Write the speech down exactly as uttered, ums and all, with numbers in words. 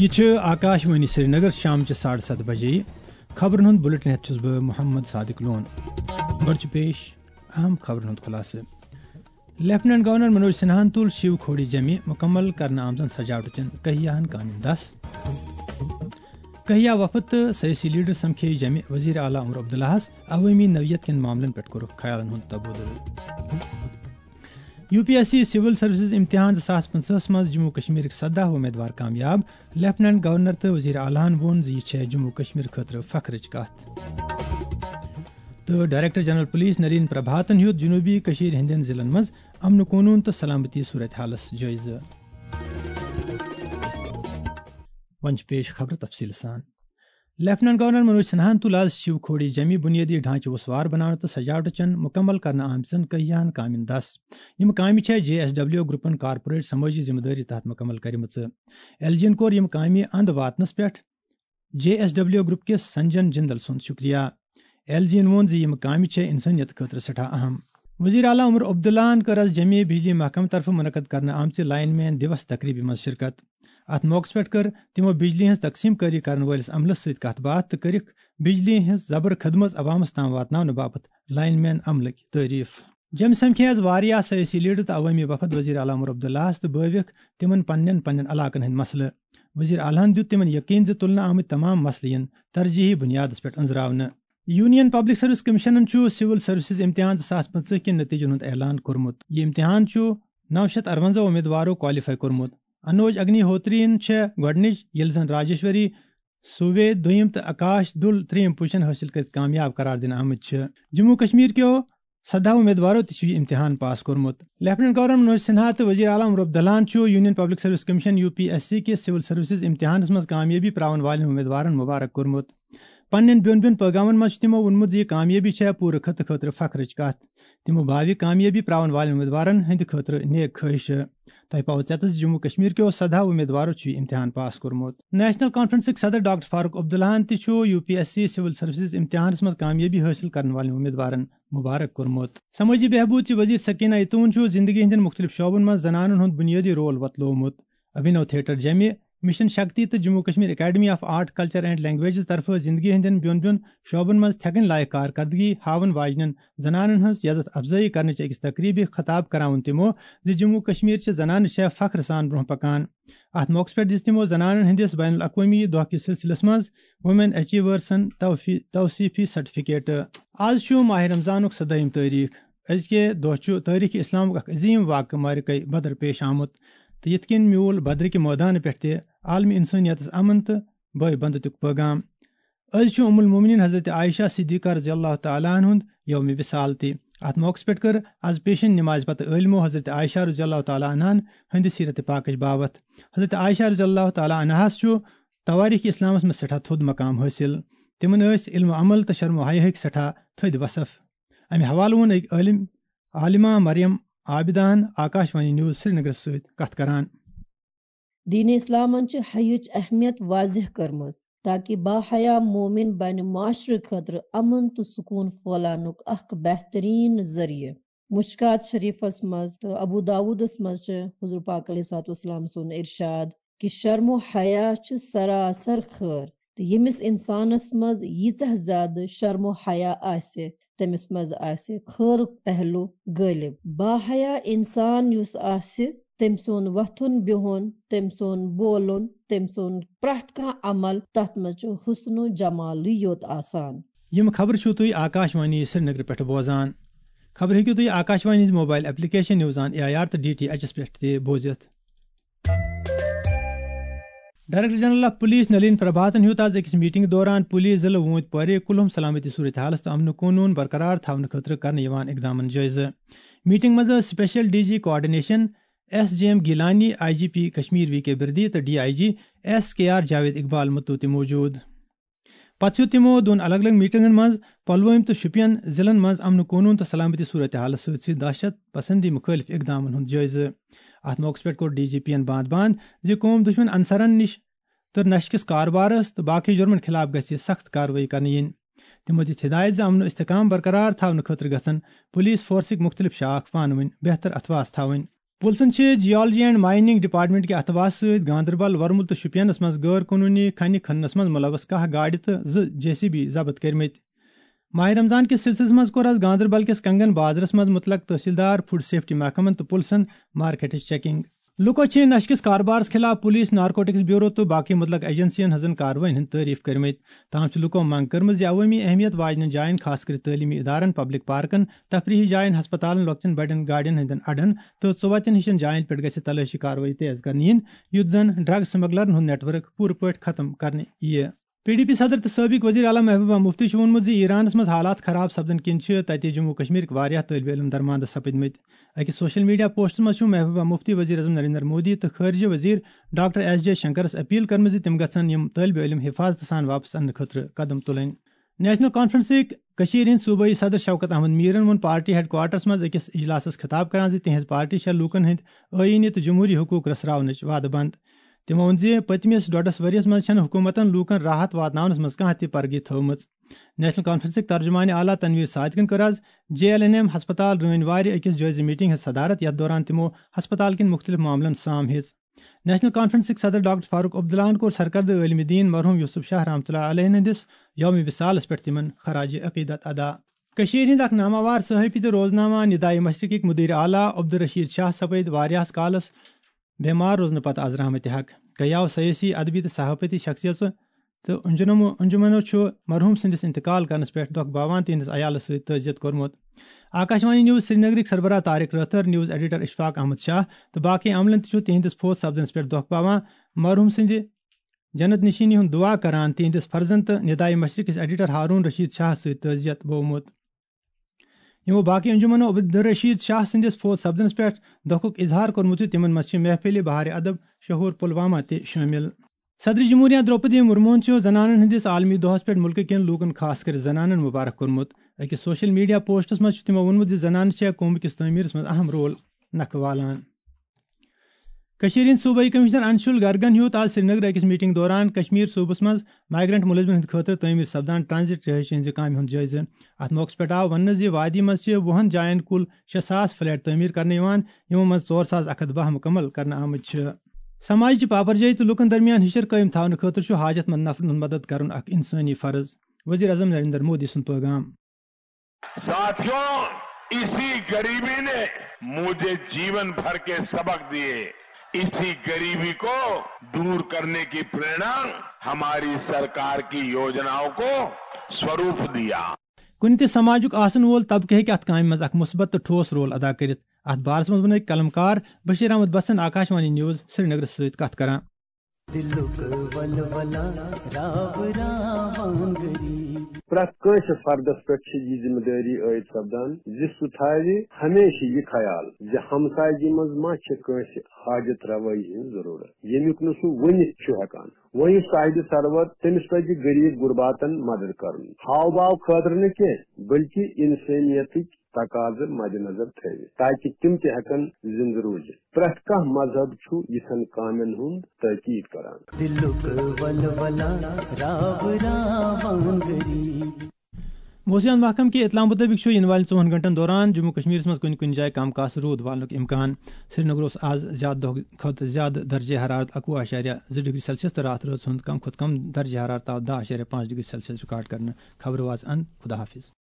یہِ چھِ آکاش وانی سرینگر، شامچہِ ساڑٕ ستھ بجے۔ خبرن ہُنٛد بُلٹن ہٮ۪تھ چھُس بہٕ محمد صادق لون۔ گۄڈٕ چھُ پیش اہم خبرن ہُنٛد خُلاصہٕ۔ لیفٹیننٹ گورنر منوج سنہاہن تُل شیو کھوڑی جمہِ، مُکمل کرنہٕ آمژن سجاوٹہٕ چٮ۪ن کہیاہن کامٮ۪ن دس۔ کہیا وفد تہٕ سیٲسی لیڈر سمکھے جمہِ وزیر اعلیٰ عمر عبداللہس۔ عوٲمی نوعیت کٮ۪ن معاملن پٮ۪ٹھ کوٚرُکھ خیالن ہُنٛد تبادلہٕ۔ یو پی ایس سی سول سروسز امتحان زٕ ساس پٕنٛژٕہس منٛز جموں کشمیرٕکۍ سداہ امیدوار کامیاب۔ لیفٹیننٹ گورنر تہٕ وزیر اعلیٰ ہن ووٚن زِ یہِ چھےٚ جموں کشمیر خٲطرٕ فخرٕچ کتھ۔ تہٕ ڈائریکٹر جنرل پولیس نلین پربھاتن ہیوٚت جنوبی کشمیر ہٕنٛدٮ۪ن ضلعن منٛز امن قونون تہٕ سلامتی صورت حالس جٲیزٕ۔ وۄنۍ چھِ پیش خبرٕ تفصیٖل سان۔ لیفٹیننٹ گورنر منوج سنہاہن تُل آز شیو کھوڑی جمی بنیادی ڈھانچہٕ وسوار بناونہٕ تہٕ سجاوٹہٕ چٮ۪ن مُکمل کرنہٕ آمژن کہیاہن کامٮ۪ن دس۔ یِم کامہِ چھےٚ جے ایس ڈبلیو گروپن کارپوریٹ سمٲجی ذمہٕ دٲری تحت مُکمل کٔرمٕژ۔ ایل جی ین کوٚر یِم کامہِ اند واتنس پٮ۪ٹھ جے ایس ڈبلیو گروپ کِس سنجن جندل سُنٛد شُکریہ۔ ایل جی ین ووٚن زِ یِم کامہِ چھےٚ انسٲنیت خٲطرٕ سٮ۪ٹھاہ اہم۔ وزیر اعلیٰ عمر عبداللہن کٔر آز جمے بجلی محکمہٕ طرفہٕ منعقد کرنہٕ آمژِ لائن مین دیوس تقریبہِ منٛز شرکت۔ اتھ موقعس پٮ۪ٹھ کٔر تِمو بجلی ہٕنٛز تقسیم کٲری کرن وٲلِس عملس سۭتۍ کتھ باتھ تہٕ کٔرِکھ بجلی ہٕنٛز زبر خدمژ عوامس تام واتناونہٕ باپتھ لائن مین عملٕکۍ تعریف۔ جمہِ سمکھے آز واریاہ سیٲسی لیڈر تہٕ عوٲمی وفد وزیر اعلیٰ عمر عبداللہس تہٕ بٲوِکھ تِمن پننٮ۪ن پننٮ۪ن علاقن ہٕنٛدۍ مسلہٕ۔ وزیر اعلیٰ ہن دیُت تِمن یقین زِ تُلنہٕ آمٕتۍ تمام مسلہٕ یِن ترجیحی بنیادس پٮ۪ٹھ أنٛزراونہٕ۔ یونین پبلک سروس کمیشنن چھُ سول سروسز امتحان زٕ ساس پٕنٛژٕہ کٮ۪ن نتیجن ہُنٛد اعلان کوٚرمُت۔ یہِ امتحان چھُ نو شیٚتھ ارونزہ امیدوارو کوالیفائی کوٚرمُت۔ انوج اگنی ہوترین چھےٚ گۄڈٕنِچ، ییٚلہِ زن راجیشوری سووے دوٚیِم تہٕ آکاش دُل ترٛیٚیِم پوزیشن حٲصِل کٔرِتھ کامیاب قرار دِنہٕ آمٕتۍ چھِ۔ جموں کشمیر کیو سداہ امیدوارو تہِ چھُ یہِ امتحان پاس کوٚرمُت۔ لیفٹیننٹ گورنر منوج سنہا تہٕ وزیر اعلیٰ عمر عبداللہن چھُ union public service commission, U P S C, کِس سول سروسز امتحانس منٛز کامیٲبی پراون والٮ۪ن امیدوارن مبارک کوٚرمُت۔ پننٮ۪ن بیوٚن بیوٚن پیغامن منٛز چھُ تِمو ووٚنمُت زِ یہِ کامیٲبی چھےٚ پوٗرٕ خطہٕ خٲطرٕ فخرٕچ کتھ۔ تِمو باوِ کامیٲبی پراون والٮ۪ن امیدوارن ہٕنٛدِ خٲطرٕ نیک خٲہشہٕ۔ تۄہہِ پاوٕ ژٮ۪تس زِ جموں کشمیر کیو سداہ امیدوارو چھُ یہِ امتحان پاس کوٚرمُت۔ نیشنل کانفرنسٕکۍ صدر ڈاکٹر فاروق عبداللہن تہِ چھُ یو پی ایس سی سول سروسز امتحانس منٛز کامیٲبی حٲصِل کرن والٮ۪ن امیدوارن مبارک کوٚرمُت۔ سمٲجی بہبود چہِ وزیر سکینہ یتون چھُ زندگی ہٕنٛدٮ۪ن مُختٔلِف شعبن منٛز زنانن ہُنٛد بُنیٲدی رول وۄتلوومُت۔ ابھینو تھیٹر جمہِ، مشن شکتی تہٕ Jammu Kashmir academy of art, culture and languages طرفہٕ زندگی ہٕنٛدٮ۪ن بیوٚن بیوٚن شعبن منٛز تھٮ۪کٕنۍ لایق کار کردگی ہاوَن واجنٮ۪ن زنانن ہٕنٛز عزت افزٲیی کرنٕچ أکِس تقریبہِ خطاب کرناوُن تِمو زِ جموں کشمیر چہِ زنانہٕ چھےٚ فخر سان برونٛہہ پکان۔ اتھ موقعس پٮ۪ٹھ دِژ تِمو زنانن ہٕنٛدِس بین الاقوٲمی دۄہ کِس سلسلس منٛز وومین اچیورسن توفی-، توصیفی سرٹیفکیٹ۔ آز چھُ ماہ رمضانُک سدٲہِم تٲریخ۔ أزکہِ دۄہ چھُ تٲریخ اسلامُک اکھ عظیم واقعہٕ معرکہ بدر پیش آمُت تہٕ یِتھ کٔنۍ میوٗل بدرٕکہِ مٲدانہٕ پٮ۪ٹھ تہِ عالمی انسٲنیتس امن تہٕ بٲے بندتُک پیغام۔ أزۍ چھُ ام المومنین حضرت عائشہ صدیقہ رضی اللہ تعالیٰ عنہ ہُنٛد یوم وصال تہِ۔ اتھ موقعس پٮ۪ٹھ کٔر از پیشن نمازِ پتہٕ عٲلمو حضرت عائشہ رضی اللہ تعالیٰ عنہن ہٕنٛدِ سیرت پاکٕچ باوتھ۔ حضرت عائشہ رضی اللہ تعالیٰ عنہس چھُ توٲریخ اسلامس منٛز سٮ۪ٹھاہ تھوٚد مقام حٲصِل۔ تِمن ٲسۍ علم و عمل تہٕ شرم و حیاہٕکۍ سٮ۪ٹھاہ تھٔدۍ وصف۔ امہِ حوالہٕ ووٚن أکۍ عٲلم، عالمہ مریم عابداہن آکاش وانی نیوز سرینگرس سۭتۍ کتھ کران۔ دین اسلامن چھِ حیٕچ اہمیت واضح کٔرمٕژ، تاکہ باحیا مومن بنہِ معاشرٕ خٲطرٕ امن تہٕ سکون پھٲلاونُک اکھ بہترین ذریعہٕ۔ مشکات شریفس منٛز تہٕ ابو داودس منٛز چھِ حضور پاک علیہ الصلوۃ والسلام سُنٛد ارشاد کہ شرم و حیا چھُ سراسر خٲر، تہٕ ییٚمِس انسانس منٛز ییٖژاہ زیادٕ شرم و حیا آسہِ، تٔمِس منٛز آسہِ خٲرُک پہلو غٲلب۔ باحیا انسان یُس آسہِ، تٔمۍ سُنٛد وۄتھُن بِہُن، تٔمۍ سُنٛد بولُن، تٔمۍ سُنٛد پرٛٮ۪تھ کانٛہہ عمل، تتھ منٛز چھُ حسن و جمالٕے یوت آسان۔ یِم خبرٕ چھِو تُہۍ آکاش وانی سرینگرٕ پٮ۪ٹھٕ بوزان۔ خبرٕ ہیٚکِو تُہۍ آکاش وانی ہٕنٛز mobile application news on A I R تہٕ ڈی ٹی ایچ ایس پٮ۪ٹھ تہِ بوٗزِتھ۔ Director general of police Nalin پربھاتن ہیوٚت آز أکِس میٹنگ دوران پولیس ضلعہٕ ووٗنتۍ پورِ کُلہُم سلامتی صورتحالس تہٕ امن و قونوٗن برقرار تھاونہٕ خٲطرٕ کرنہٕ یِوان اقدامن جٲیزٕ۔ میٹنگ منٛز ٲسۍ special D G coordination S J M Gilani, I G P Kashmir V K Birdi تہٕ D I G S K R Javed Iqbal Mattu تہِ موجود۔ پتہٕ ہیوٚت تِمو دۄن الگ الگ میٹنگن منٛز پلوٲمۍ تہٕ شوپین ضلعن منٛز امن و قونوٗن تہٕ سلامتی صورتحالس سۭتۍ سۭتۍ دہشت پسندی مُخٲلف اقدامن ہُنٛد جٲیزٕ۔ اتھ موقعس پٮ۪ٹھ کوٚر ڈی جی پی ین باند باند زِ قوم دُشمن عنصرن نِش تہٕ نشہٕ کِس کاربارس تہٕ باقٕے جُرمن خلاف گژھِ سخت کارروٲیی کرنہٕ یِنۍ۔ تِمو دِژ ہدایت زِ امن و استحکام برقرار تھاونہٕ خٲطرٕ گژھن پولیس فورسٕکۍ مُختٔلِف شاخ پانہٕ ؤنۍ بہتر اتھواس تھاوٕنۍ۔ پُلسن چھِ جیولجی اینڈ مایننگ ڈپارٹمنٹ کہِ اتھواسہٕ سۭتۍ گاندربل، ورمُل تہٕ شوپینس منٛز غٲر قونوٗنی کھنہِ کھننس منٛز مُلوث کاہ گاڑِ تہٕ زٕ جے سی بی ضبط کٔرمٕتۍ۔ ماہ رمضان کِس سلسلس منٛز کوٚر از گاندربل کِس کنگن بازرس منٛز مُتلق تحصیلدار، فوڈ سیفٹی محکمن تہٕ پُلسن مارکیٹٕچ چیکنگ۔ لوٗکو چھِ نشہٕ کِس کاربارس خلاف پُلیٖس، نارکوٹکس بیورو تہٕ باقٕے مُتلق ایجنسین ہٕنٛزن کاروٲیین ہٕنٛز تعریف کٔرمٕژ۔ تاہم چھِ لوٗکو منٛگ کٔرمٕژ زِ عوٲمی اہمیت واجنٮ۪ن جاین، خاص کٔرِتھ تعلیمی ادارن، پبلک پارکن، تفریحی جاین، ہسپتالن، لۄکچٮ۪ن بڑٮ۪ن گاڑٮ۪ن ہٕنٛدٮ۪ن اڈن تہٕ ژُوتٮ۪ن ہِشن جاین پٮ۪ٹھ گژھِ تلٲشی کاروٲیی تیز کرنہٕ یِنۍ، یُتھ زن ڈرگ سمگلرن ہُنٛد نیٹ ورک پوٗرٕ پٲٹھۍ ختم کرنہٕ یِیہِ۔ پی ڈی پی صدر تہٕ سٲبق وزیر اعلیٰ محبوبہ مفتی چھُ ووٚنمُت زِ ایرانس منٛز حالات خراب سپدن کِنۍ چھِ تَتہِ جموں کشمیرٕکۍ واریاہ طٲلبہِ علم درماندٕ سپٕدمٕتۍ۔ أکِس سوشل میڈیا پوسٹس منٛز چھُ محبوبہ مفتی، وزیر اعظم نریندر مودی تہٕ خارجہ وزیر ڈاکٹر ایس جے شنکرس اپیل کٔرمٕژ زِ تِم گژھن یِم طٲلبہِ علم حفاظتہٕ سان واپس اننہٕ خٲطرٕ قدم تُلٕنۍ۔ نیشنل کانفرنسٕکۍ کٔشیٖرِ ہٕنٛدۍ صوبٲئی صدر شوکت احمد میرن ووٚن پارٹی ہیڈ کوارٹرس منٛز أکِس اجلاسس خطاب کران زِ تِہنٛز پارٹی چھےٚ لوٗکن ہٕنٛدۍ آئینی تہٕ جمہوری حقوق رژھراونٕچ وعدٕ بنٛد۔ تِمو ووٚن زِ پٔتمِس ڈۄڈس ؤرِیَس منٛز چھَنہٕ حکوٗمتَن لوٗکَن راحت واتناونَس منٛز کانٛہہ تہِ پرگی تھٲومٕژ۔ نیشنل کانفرنسٕکۍ ترجمان اعلیٰ تنویر صادقن کٔر آز جے ایل این ایم ہسپتال رٲنۍ وارِ أکِس جٲیزٕ میٹنگ ہٕنٛز صدارت، یَتھ دوران تِمو ہسپتال کِنۍ مُختٔلِف معاملَن سام ہیٚژ۔ نیشنل کانفرنسٕکۍ صدر ڈاکٹر فاروق عبداللہَن کوٚر سرکردٕ عٲلمِ دیٖن مرحوم یوسف شاہ رحمتہ اللہ علیہ ہٕنٛدِس یومِ وصالَس پٮ۪ٹھ تِمَن خراج عقیدت ادا۔ کٔشیٖرِ ہٕنٛدۍ اکھ ناماوار صحافی تہٕ روزنامہ ندائے مشرقٕکۍ مدیر اعلیٰ عبدالرشید شاہ سپٕدۍ واریاہَس کالَس بیمار روزنہٕ پتہٕ از رحمتِ حق۔ کیاو سیٲسی، ادبی تہٕ صحافتی شخصیژٕ تہٕ انجنمو-، انجمنو چھُ مرحوم سٕنٛدِس انتقال کرنس پٮ۪ٹھ دۄکھ باوان تِہنٛدِس عیالس سۭتۍ تعزیت کوٚرمُت۔ آکاشوانی نیوز سرینگرٕکۍ سربراہ طارق رٲتھر، نیوز ایڈیٹر اشفاق احمد شاہ تہٕ باقٕے عملن تہِ چھُ تِہنٛدِس فوت سپدنس پٮ۪ٹھ دۄکھ باوان۔ مرحوم سٕنٛدِ جنت نشینی ہُنٛد دعا کران تِہنٛدِس فرزند تہٕ ندائے مشرقٕکِس ایڈیٹر ہارون رشید شاہ سۭتۍ تعزیت بوومُت۔ یِمو باقٕے انجمنو عبدالرشید شاہ سٕنٛدِس فوت سپدنس پٮ۪ٹھ دۄکھُک اظہار کوٚرمُت زِ تِمن منٛز چھِ محفلِ بہارِ ادب شہور پلوامہ تہِ شٲمِل۔ صدر جمہوریہ درٛوپدی مرموہن چھُ زنانن ہٕنٛدِس عالمی دۄہس پٮ۪ٹھ مُلکہٕ کٮ۪ن لوٗکن، خاص کٔرِتھ زنانن، مبارک کوٚرمُت۔ أکِس سوشل میڈیا پوسٹس منٛز چھُ تِمو ووٚنمُت زِ زنانہٕ چھےٚ قومہٕ کِس تعمیٖرس منٛز اہم رول نکھٕ والان۔ کٔشیٖرِ ہٕنٛدۍ صوبٲئی کمشنر انشول گرگن ہیوٚت آز سرینگرٕ أکِس میٹنگ دوران کشمیر صوبس منٛز مائیگرنٹ ملٲزمن ہٕنٛدِ خٲطرٕ تعمیٖر سپدان ٹرانزٹ رہٲیشہِ ہٕنٛزِ کامہِ ہُنٛد جٲیزٕ۔ اتھ موقعس پٮ۪ٹھ آو وننہٕ زِ وادی منٛز چھِ وُہن جاین کُل شےٚ ساس فلیٹ تعمیٖر کرنہٕ یِوان، یِمو منٛز ژور ساس اکھ ہتھ باہ مُکمل کرنہٕ آمٕتۍ چھِ۔ سماج چہِ پاپرجٲہی تہٕ لوٗکن درمیان ہِشر قٲیِم تھاونہٕ خٲطرٕ چھُ حاجت مند نفرن ہُنٛد مدد کرُن اکھ انسٲنی فرض۔ وزیر اعظم نریندر مودی سُنٛد پیغام۔ ساتھیوں، اسی غریبی نے مجھے جیون بھر کے سبق دیے۔ اسی غریبی کو दूर करने की प्रेरणा हमारी सरकार की योजनाओं को स्वरूप दिया। کُنہِ تہِ سماجُک آسن وول طبقہٕ ہیٚکہِ اتھ کامہِ منٛز اکھ مثبت تہٕ ٹھوس رول ادا کٔرِتھ۔ اتھ بارس منٛز ووٚن أکۍ قلمکار بشیر احمد بسن آکاشوانی نیوز سرینگرس سۭتۍ کتھ کران۔ دِلُک ولولہ راو راوان غریب۔ پرٛٮ۪تھ کٲنٛسہِ فردس پٮ۪ٹھ چھِ یہِ ذمہٕ دٲری عٲید سپدان زِ سُہ تھاوِ ہمیشہِ یہِ خیال زِ ہمسایگی منٛز ما چھِ کٲنٛسہِ حاجت روٲیی ہٕنٛز ضروٗرت، ییٚمیُک نہٕ سُہ ؤنِتھ چھُ ہٮ۪کان۔ وۄنۍ یُس صاحبِ ثروت، تٔمِس پزِ غریب غرباتن مدد کرُن، ہاو باو خٲطرٕ نہٕ کینٛہہ، بلکہِ انسٲنیتٕکۍ تقاضہٕ مدِ نظر تھٲوِتھ، تاکہ تِم تہِ ہٮ۪کن زندٕ روٗزِتھ۔ پرٛٮ۪تھ کانٛہہ مذہب چھُ یِتھٮ۪ن کامٮ۪ن ہُنٛد تٲکید کران۔ دِلُک ولولہ راو راوان غریب۔ موسمیات محکمہٕ کہِ اطلاع مُطٲبِق چھُ یِنہٕ والٮ۪ن ژوٚوُہن گھنٹن دوران جموں کشمیرس منٛز کُنہِ کُنہِ جایہِ کم کاسہٕ روٗد والنُک امکان۔ سرینگرس آز زیادٕ دۄہ کھۄتہٕ زیادٕ درجہ حرارت اَکوُہ اعشاریہ زٕ ڈگری سیلسیس تہٕ راتھ رٲژ ہُنٛد کم کھۄتہٕ کم درجہ حرارت آو دَہ اعشاریہ پانٛژھ ڈگری سیلسیس ریکارڈ کرنہٕ۔ خبرٕ واژ اند۔ خدا حافظ۔